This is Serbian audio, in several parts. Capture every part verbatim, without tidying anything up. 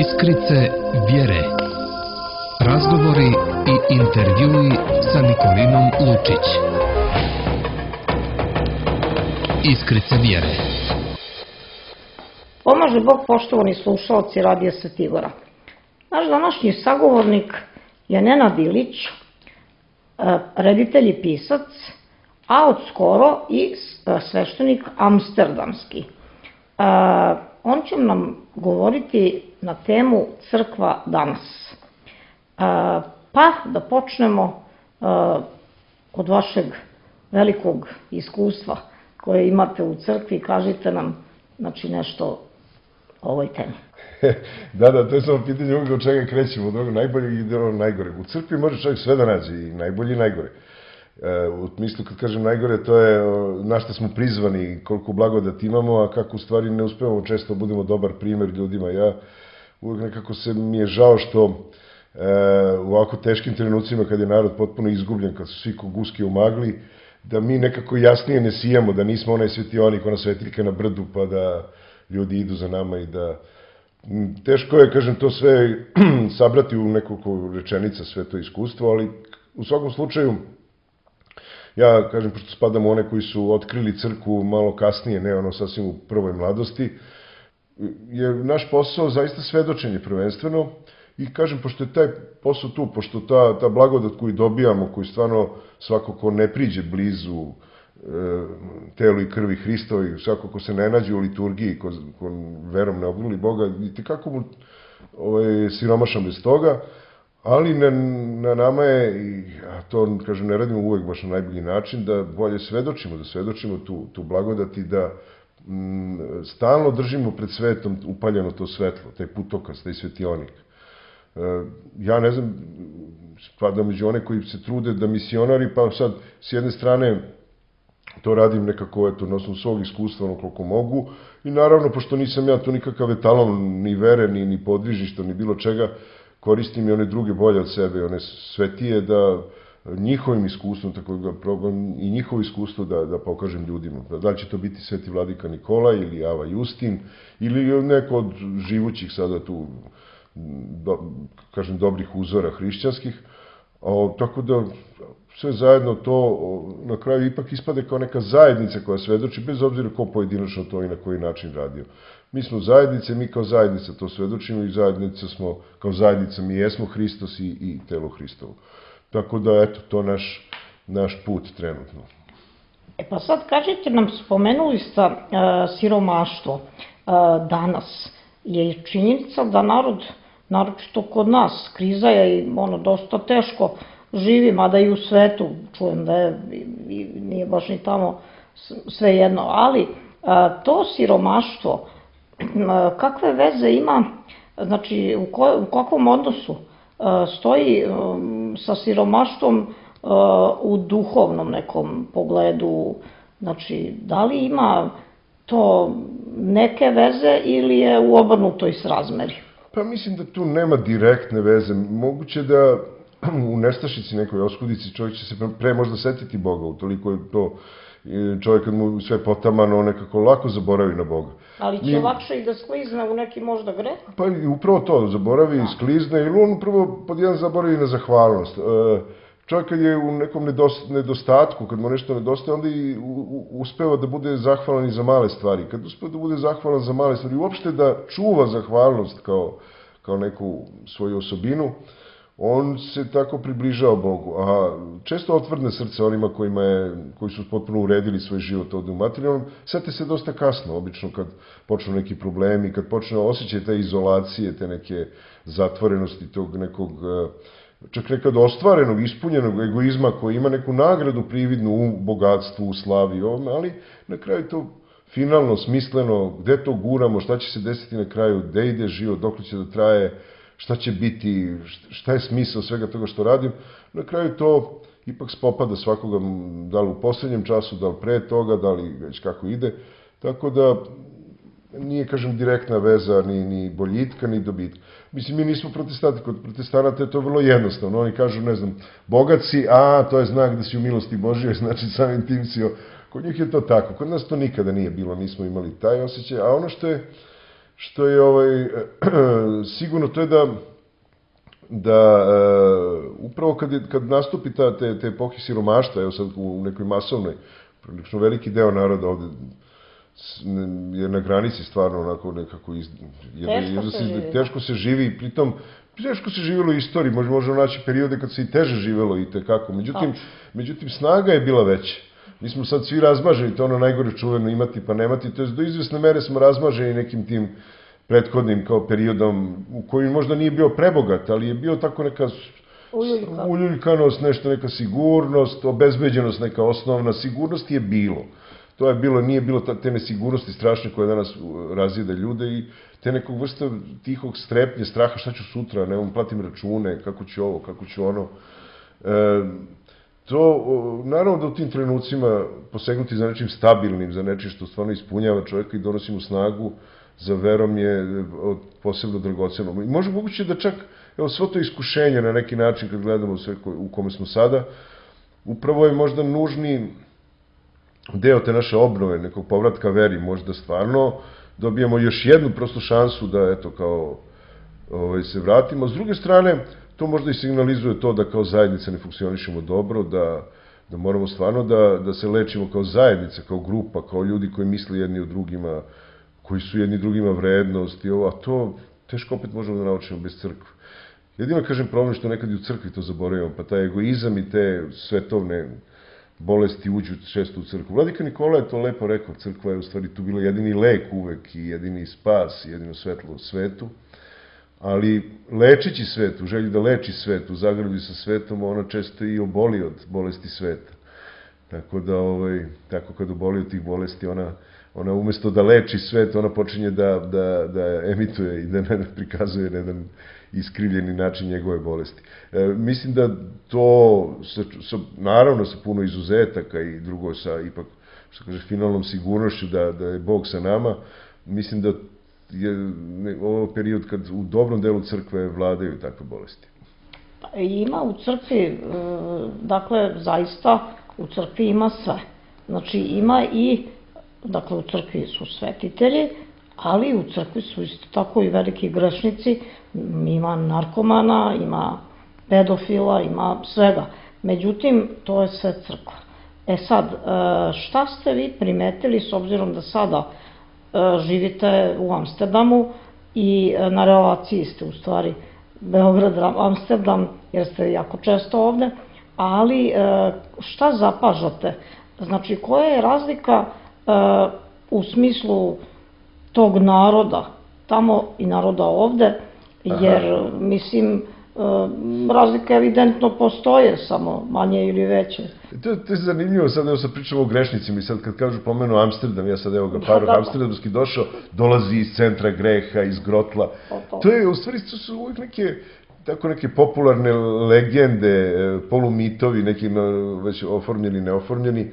Iskrice vjere. Razgovori i intervjui sa Nikolinom Lučić. Iskrice vjere. Pomaže Bog, poštovani slušalci Radija Svetigora. Naš današnji sagovornik je Nenad Ilić, reditelj i pisac, a od skoro i sveštenik amsterdamski. On će nam govoriti na temu Crkva danas. Pa da počnemo od vašeg velikog iskustva koje imate u crkvi. Kažite nam znači nešto o ovoj temi. Da, da, to je samo pitanje uvijek od čega krećemo, od onog najboljeg i od najgoreg. U crkvi može čovjek sve da nađe, i najbolji i najgore. U smislu, kad kažem najgore, to je na šta smo prizvani, koliko blagodati imamo, a kako u stvari ne uspevamo često budemo dobar primjer ljudima. Ja uvijek nekako se mi je žao što u ovako teškim trenucima, kad je narod potpuno izgubljen, kad su svi ko guske u magli, da mi nekako jasnije ne sijamo, da nismo onaj svetionik, ona svetiljka na brdu, pa da ljudi idu za nama i da... Teško je, kažem, to sve sabrati u nekoliko rečenica, sve to iskustvo, ali u svakom slučaju, ja, kažem, pošto spadam u one koji su otkrili crkvu malo kasnije, ne ono sasvim u prvoj mladosti, je naš posao zaista svedočenje prvenstveno. I kažem, pošto je taj posao tu, pošto ta, ta blagodat koju dobijamo, koju stvarno svako ko ne priđe blizu e, telu i krvi Hristovi, svako ko se ne nađe u liturgiji, ko, ko verom ne obnuli Boga, i tekako mu ovaj, siromašan bez toga, ali na, na nama je, i, a to, kažem, ne radimo uvek baš na najbolji način, da bolje svedočimo, da svedočimo tu, tu blagodat i da m, stalno držimo pred svetom upaljeno to svetlo, taj putokaz, taj svetionik. Ja ne znam, spadam među one koji se trude da misionari, pa sad s jedne strane to radim nekako, eto, na osnovu svog iskustva, ono koliko mogu, i naravno, pošto nisam ja tu nikakav etalon ni vere, ni, ni podvižišta, ni bilo čega, koristim i one druge bolje od sebe, one svetije, da njihovim iskustvom, tako da probam i njihovo iskustvo da, da pokažem ljudima. Da li će to biti Sveti Vladika Nikolaj ili Ava Justin, ili neko od živućih sada tu, Do, kažem, dobrih uzora hrišćanskih, o, tako da sve zajedno to o, na kraju ipak ispade kao neka zajednica koja svedoči, bez obzira ko pojedinačno to i na koji način radio. Mi smo zajednice, mi kao zajednica to svedočimo i zajednica smo, kao zajednica mi jesmo Hristos i, i telo Hristovo. Tako da, eto, to naš, naš put trenutno. E pa sad kažete nam, spomenuli ste uh, siromaštvo. Uh, danas je činjenica da narod, naročito kod nas, kriza je i ono dosta teško živi, mada i u svetu, čujem da je, i, nije baš ni tamo sve jedno, ali a, to siromaštvo, a, kakve veze ima, znači u, ko, u kakvom odnosu a, stoji a, sa siromaštvom a, u duhovnom nekom pogledu, znači da li ima to neke veze ili je u obrnutoj srazmeri? Pa mislim da tu nema direktne veze. Moguće da u nestašici, nekoj oskudici, čovjek će se pre možda setiti Boga, utoliko je to čovjek kad mu sve potamano nekako lako zaboravi na Boga. Ali će I, lakše i da sklizne u neki možda greh? Pa i upravo to, zaboravi i sklizne, ili on upravo pod jedan zaboravi na zahvalnost. Čovjek kad je u nekom nedostatku, kad mu nešto nedostaje, onda i uspeva da bude zahvalan i za male stvari. Kad uspeva da bude zahvalan za male stvari, uopšte da čuva zahvalnost kao, kao neku svoju osobinu, on se tako približava Bogu. A često otvrdne srce onima kojima je, koji su potpuno uredili svoj život ovdje u materijalnom, sete se dosta kasno, obično kad počnu neki problemi, kad počne osjećaj te izolacije, te neke zatvorenosti, tog nekog... čak nekad ostvarenog, ispunjenog egoizma koji ima neku nagradu prividnu u bogatstvu, u slavi i ovome, ali na kraju to finalno, smisleno, gde to guramo, šta će se desiti na kraju, gde ide život, dok će da traje, šta će biti, šta je smisao svega toga što radim, na kraju to ipak spopada svakoga, da li u posljednjem času, da li pre toga, da li već kako ide, tako da nije, kažem, direktna veza ni, ni boljitka, ni dobitka. Mislim, mi nismo protestanti, kod protestanata je to vrlo jednostavno. Oni kažu, ne znam, bogat si, a to je znak da si u milosti Božjoj, znači samim tim si... Kod njih je to tako. Kod nas to nikada nije bilo, nismo imali taj osjećaj. A ono što je, što je ovaj, sigurno to je da da upravo kad, je, kad nastupi ta, te, te epohe siromaštva, evo sad u nekoj masovnoj, prilično veliki deo naroda ovde je na granici stvarno onako nekako iz, teško, se se, živi. teško se živi i pritom teško se živjelo u istoriji, može, možemo naći periode kad se i teže živjelo i tekako, međutim, međutim snaga je bila veća. Mi smo sad svi razmaženi, to je ono najgore čuveno imati pa nemati, to je do izvesne mere smo razmaženi nekim tim prethodnim kao periodom u kojem možda nije bio prebogat, ali je bio tako neka Uljuljka. uljuljkanost, nešto neka sigurnost, obezbeđenost neka osnovna, sigurnost je bilo. To je bilo, nije bilo te nesigurnosti strašne koje danas razjede ljude i te nekog vrsta tihog strepnje, straha, šta ću sutra, ne, platim račune, kako ću ovo, kako ću ono. E, to, naravno da u tim trenucima posegnuti za nečim stabilnim, za nečim što stvarno ispunjava čovjeka i donosi mu snagu, za verom je posebno dragoceno. I može moguće da čak, evo, svo to iskušenje na neki način, kad gledamo sve u kome smo sada, upravo je možda nužni deo te naše obnove, nekog povratka veri, možda stvarno dobijemo još jednu prosto šansu da, eto, kao ovaj, se vratimo. S druge strane, to možda i signalizuje to da kao zajednica ne funkcionišemo dobro, da, da moramo stvarno da, da se lečimo kao zajednica, kao grupa, kao ljudi koji misle jedni o drugima, koji su jedni drugima vrednost i ovo, a to teško opet možemo da naučimo bez crkve. Jedino kažem problem što nekad i u crkvi to zaboravimo, pa taj egoizam i te svetovne bolesti uđu često u crkvu. Vladika Nikola je to lepo rekao, crkva je u stvari tu bila jedini lek uvek i jedini spas, jedino svetlo u svetu, ali lečeći svet, u želji da leči svet, u zagradi sa svetom, ona često i oboli od bolesti sveta. Tako da, ovaj, tako kad oboli od tih bolesti, ona ona umesto da leči svet, ona počinje da, da, da emituje i da ne prikazuje na jedan iskrivljeni način njegove bolesti. E, mislim da to, sa, sa, naravno sa puno izuzetaka i drugo sa ipak, što kaže, finalnom sigurnošću da, da je Bog sa nama, mislim da je ovo period kad u dobrom delu crkve vladaju takve bolesti. Ima u crkvi, dakle, zaista u crkvi ima sve. Znači ima i Dakle, u crkvi su svetitelji, ali u crkvi su isto tako i veliki grešnici, ima narkomana, ima pedofila, ima svega. Međutim, to je sve crkva. E sad, šta ste vi primetili, s obzirom da sada živite u Amsterdamu i na relaciji ste u stvari Beograd-Amsterdam, jer ste jako često ovde, ali šta zapažate? Znači, koja je razlika u smislu tog naroda, tamo i naroda ovde, jer, mislim, razlika evidentno postoje, samo manje ili veće. To je zanimljivo, sad evo sad pričamo o grešnicima i sad kad kažu pomenu Amsterdam, ja sad evo ga Paroh amsterdamski došao, dolazi iz centra greha, iz grotla. To je, u stvari, to su uvijek neke tako neke popularne legende, polumitovi, neki već oformljeni, neoformljeni.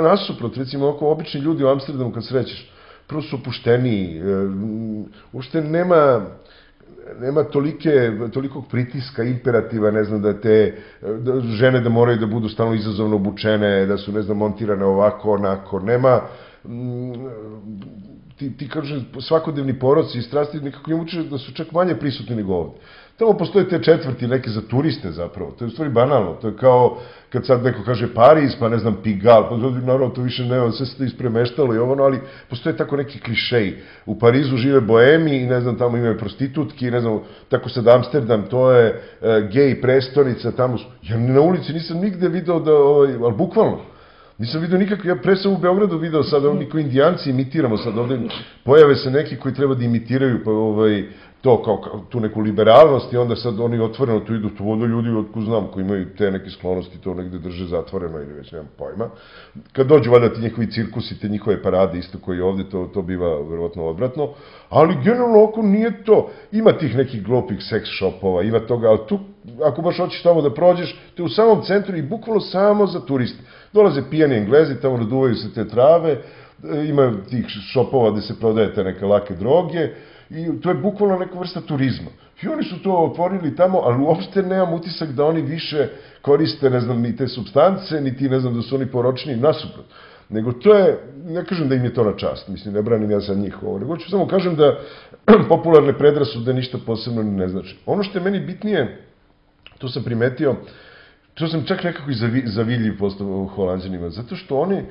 Nasuprot, recimo, oko obični ljudi u Amsterdamu kad srećeš, prvo su opušteniji, uopšte nema nema tolike, tolikog pritiska, imperativa, ne znam, da te žene da moraju da budu stalno izazovno obučene, da su, ne znam, montirane ovako, onako, nema, ti, ti kaže, svakodnevni poroci i strasti nekako im uče da su čak manje prisutni nego ovde. Tamo postoje te četvrti neke za turiste zapravo, to je u stvari banalno, to je kao kad sad neko kaže Pariz, pa ne znam Pigal, pa naravno to više nema, sve se to ispremeštalo i ovo, ali postoje tako neki klišeji. U Parizu žive boemi i ne znam, tamo imaju prostitutki, ne znam, tako sad Amsterdam, to je gej prestonica, tamo su, ja na ulici nisam nigde video da, ali bukvalno, nisam vidio nikakve, ja pre sam u Beogradu video sad, oni koji indijanci imitiramo sad ovde, pojave se neki koji treba da imitiraju, pa ovaj, to kao tu neku liberalnost i onda sad oni otvoreno tu idu, to vodo ljudi, otko znam, koji imaju te neke sklonosti, to negde drže zatvoreno ili već nemam pojma. Kad dođu valjda ti njihovi cirkusi, te njihove parade, isto koji ovde, to, to biva verovatno odvratno, ali generalno oko nije to. Ima tih nekih glupih seks shopova, ima toga, ali tu, ako baš hoćeš tamo da prođeš, to je u samom centru i bukvalno samo za turiste. Dolaze pijani Englezi, tamo naduvaju se te trave, ima tih shopova gde se prodaje te neke lake droge, i to je bukvalno neka vrsta turizma. I oni su to otvorili tamo, ali uopšte nemam utisak da oni više koriste, ne znam, ni te substance, ni ti, ne znam, da su oni poročni, nasuprot. nego to je, ne kažem da im je to na čast, mislim, ne branim ja sad njih ovo, nego ću samo kažem da popularne predrasude ništa posebno ne znači. Ono što je meni bitnije, to sam primetio, to sam čak nekako i zavidljiv postao Holanđanima, zato što oni e,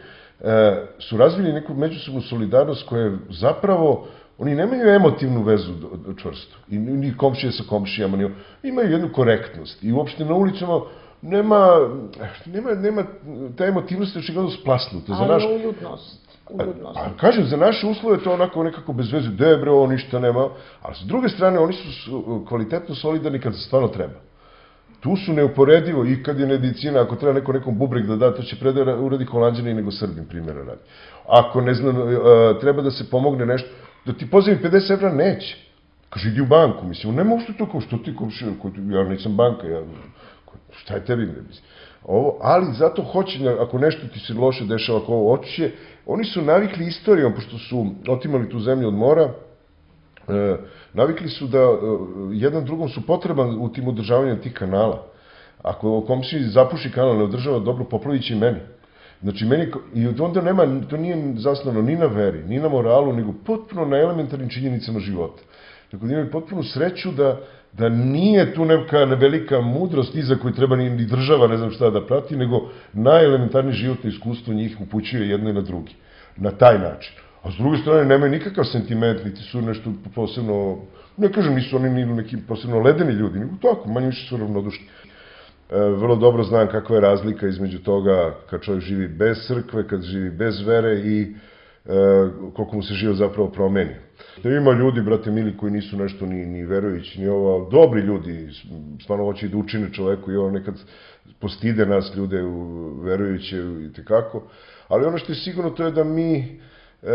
su razvili neku međusobnu solidarnost koja je zapravo, oni nemaju emotivnu vezu čvrstu, i ni komšije sa komšijama, ni, imaju jednu korektnost i uopšte na ulicama nema, nema, nema ta emotivnost je očigledno splasnuta. Ali naš, uljudnost. uljudnost. A, a kažem, za naše uslove to onako nekako bez veze, debre, ovo ništa nema, ali s druge strane oni su kvalitetno solidarni kad se stvarno treba. Tu su neuporedivo i kad je medicina, ako treba neko nekom bubreg da da, to će pre da uradi Holanđani nego Srbin, primjera radi. Ako, ne znam, treba da se pomogne nešto, da ti pozivim pedeset evra, neće. Kaže, idi u banku, mislim, nema ušto to kao, što ti komšija, ja nisam banka, ja, šta je tebi, ne mislim. Ovo, ali zato hoće, ako nešto ti se loše dešava, ako ovo očiće, oni su navikli istorijom, pošto su otimali tu zemlju od mora, E, navikli su da e, jedan drugom su potreban u tim održavanjem tih kanala. Ako komšiji zapuši kanal, ne održava dobro, poplavit će i meni. Znači, meni, i onda nema, to nije zasnovano ni na veri, ni na moralu, nego potpuno na elementarnim činjenicama života. Tako da imaju potpuno sreću da, da nije tu neka velika mudrost iza koju treba ni država, ne znam šta da prati, nego najelementarnije životno iskustvo njih upućuje jedno i na drugi. Na taj način. A s druge strane, nemaju nikakav sentiment, niti su nešto posebno, ne kažem, nisu oni ni neki posebno ledeni ljudi, nego tako, manje više su ravnodušni. E, vrlo dobro znam kakva je razlika između toga kad čovjek živi bez crkve, kad živi bez vere i e, koliko mu se život zapravo promeni. Da ima ljudi, brate mili, koji nisu nešto ni, ni verujući, ni ovo, dobri ljudi, stvarno hoće da učine čoveku i ovo nekad postide nas ljude verujuće i tekako, ali ono što je sigurno to je da mi E,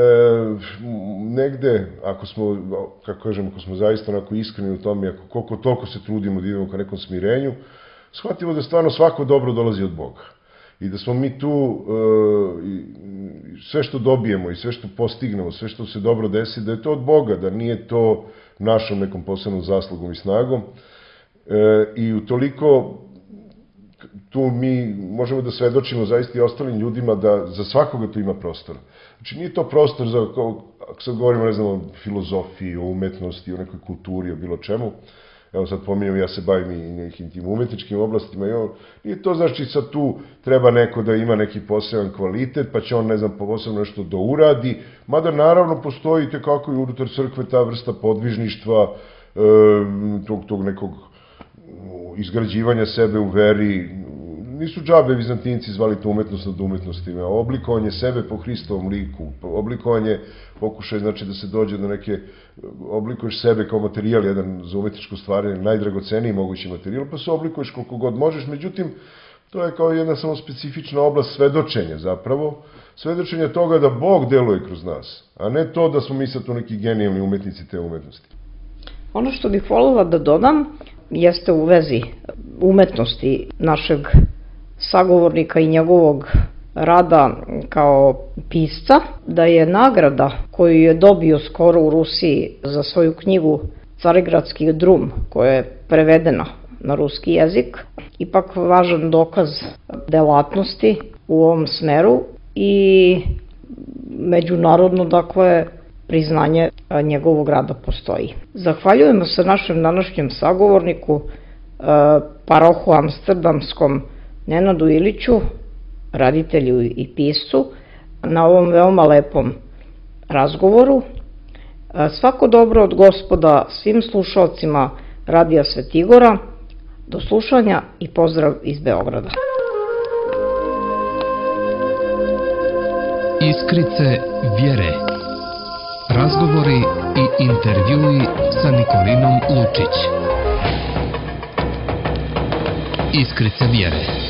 negde, ako smo, kako kažem, ako smo zaista onako iskreni u tome, ako koliko toliko se trudimo da idemo ka nekom smirenju, shvatimo da stvarno svako dobro dolazi od Boga. I da smo mi tu, e, i sve što dobijemo i sve što postignemo, sve što se dobro desi, da je to od Boga, da nije to našom nekom posebnom zaslugom i snagom. E, I utoliko tu mi možemo da svedočimo zaista i ostalim ljudima da za svakoga tu ima prostora. Znači nije to prostor za, ako sad govorimo, ne znam, o filozofiji, o umetnosti, o nekoj kulturi, o bilo čemu, evo sad pominjem, ja se bavim i nekim tim umetničkim oblastima i ovo, nije to znači sad tu treba neko da ima neki poseban kvalitet, pa će on, ne znam, posebno nešto da uradi, mada naravno postoji tekako i unutar crkve ta vrsta podvižništva, e, tog, tog nekog izgrađivanja sebe u veri. Nisu džabe Vizantinci zvali to umetnost nad umetnostima, oblikovanje sebe po Hristovom liku, oblikovanje, pokušaj znači da se dođe do neke, oblikuješ sebe kao materijal, jedan za umetničko stvaranje, najdragoceniji mogući materijal, pa se oblikuješ koliko god možeš, međutim, to je kao jedna samo specifična oblast svedočenja zapravo, svedočenja toga da Bog deluje kroz nas, a ne to da smo mi sad tu neki genijalni umetnici te umetnosti. Ono što bih voljela da dodam jeste u vezi umetnosti našeg sagovornika i njegovog rada kao pisca, da je nagrada koju je dobio skoro u Rusiji za svoju knjigu Carigradski drum, koja je prevedena na ruski jezik, ipak važan dokaz delatnosti u ovom smeru i međunarodno, dakle, priznanje njegovog rada postoji. Zahvaljujemo se našem današnjem sagovorniku, parohu amsterdamskom Nenadu Iliću, raditelju i piscu, na ovom veoma lepom razgovoru. Svako dobro od Gospoda svim slušalcima Radija Svetigora. Do slušanja i pozdrav iz Beograda. Iskrice vjere. Razgovori i intervjui sa Nikolinom Lučić. Iskrice vjere.